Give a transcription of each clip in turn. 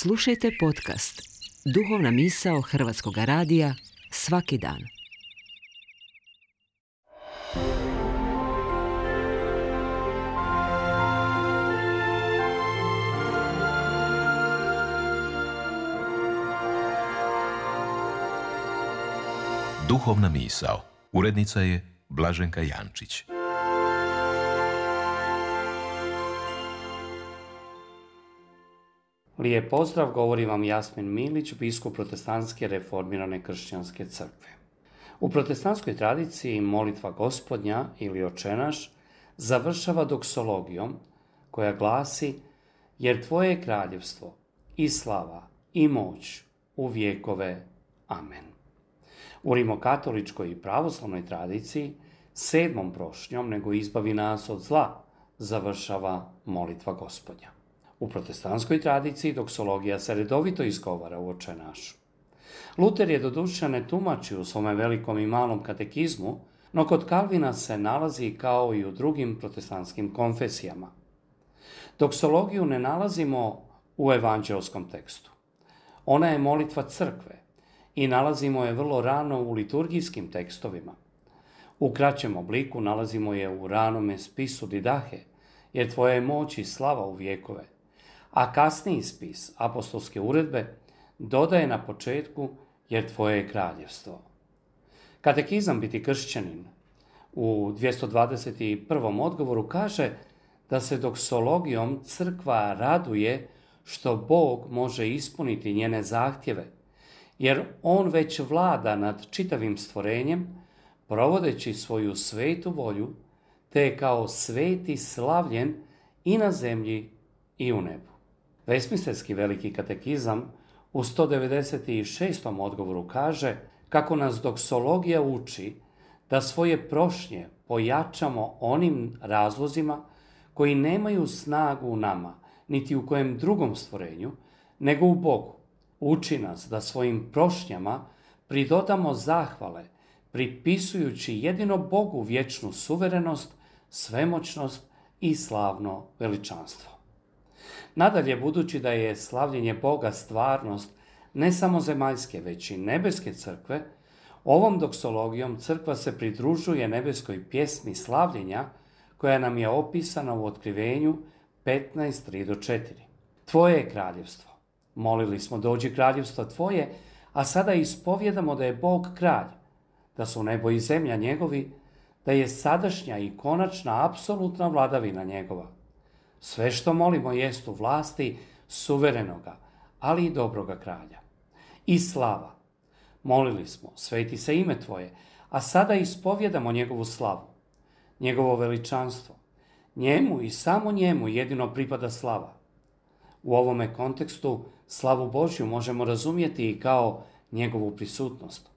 Slušajte podcast Duhovna misao Hrvatskog radija svaki dan. Duhovna misao. Urednica je Blaženka Jančić. Lijep pozdrav, govori vam Jasmin Milić, biskup Protestantske reformirane kršćanske crkve. U protestantskoj tradiciji molitva Gospodnja ili Očenaš završava doksologijom koja glasi: jer tvoje je kraljevstvo i slava i moć u vjekove. Amen. U rimokatoličkoj i pravoslavnoj tradiciji 7. prošnjom nego izbavi nas od zla završava molitva Gospodnja. U protestantskoj tradiciji doksologija se redovito izgovara u Očenašu. Luter je doduše ne tumači u svome velikom i malom katekizmu, no kod Kalvina se nalazi kao i u drugim protestantskim konfesijama. Doksologiju ne nalazimo u evanđelskom tekstu. Ona je molitva crkve i nalazimo je vrlo rano u liturgijskim tekstovima. U kraćem obliku nalazimo je u ranome spisu Didahe, jer tvoja je moć i slava u vjekove, a kasniji spis apostolske uredbe dodaje na početku jer tvoje je kraljevstvo. Katekizam biti kršćanin u 221. odgovoru kaže da se doksologijom crkva raduje što Bog može ispuniti njene zahtjeve, jer on već vlada nad čitavim stvorenjem, provodeći svoju svetu volju, te je kao sveti slavljen i na zemlji i u nebu. Westminsterski veliki katekizam u 196. odgovoru kaže kako nas doksologija uči da svoje prošnje pojačamo onim razlozima koji nemaju snagu u nama, niti u kojem drugom stvorenju, nego u Bogu. Uči nas da svojim prošnjama pridodamo zahvale, pripisujući jedino Bogu vječnu suverenost, svemoćnost i slavno veličanstvo. Nadalje, budući da je slavljenje Boga stvarnost ne samo zemaljske, već i nebeske crkve, ovom doksologijom crkva se pridružuje nebeskoj pjesmi slavljenja koja nam je opisana u Otkrivenju 15:3-4. Tvoje je kraljevstvo. Molili smo dođi kraljevstvo tvoje, a sada ispovjedamo da je Bog kralj, da su nebo i zemlja njegovi, da je sadašnja i konačna apsolutna vladavina njegova. Sve što molimo jest u vlasti suverenoga, ali i dobroga kralja. I slava. Molili smo, sveti se ime tvoje, a sada ispovjedamo njegovu slavu, njegovo veličanstvo. Njemu i samo njemu jedino pripada slava. U ovome kontekstu slavu Božju možemo razumjeti i kao njegovu prisutnost.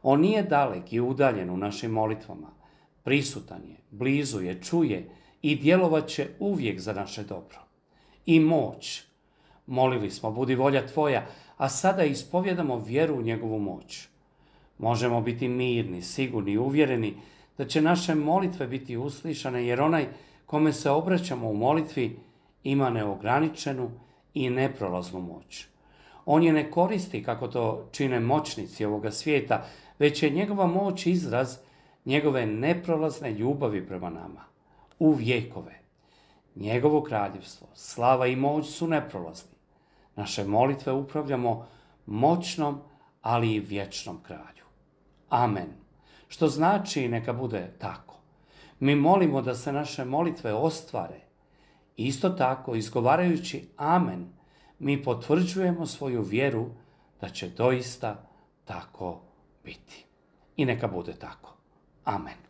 On nije dalek i udaljen u našim molitvama. Prisutan je, blizu je, čuje i djelovat će uvijek za naše dobro. I moć. Molili smo, budi volja tvoja, a sada ispovjedamo vjeru u njegovu moć. Možemo biti mirni, sigurni i uvjereni da će naše molitve biti uslišane, jer onaj kome se obraćamo u molitvi ima neograničenu i neprolaznu moć. On je ne koristi kako to čine moćnici ovoga svijeta, već je njegova moć izraz njegove neprolazne ljubavi prema nama. U vjekove. Njegovo kraljevstvo, slava i moć su neprolazni. Naše molitve upravljamo moćnom, ali i vječnom kralju. Amen. Što znači neka bude tako. Mi molimo da se naše molitve ostvare. Isto tako, izgovarajući amen, mi potvrđujemo svoju vjeru da će doista tako biti. I neka bude tako. Amen.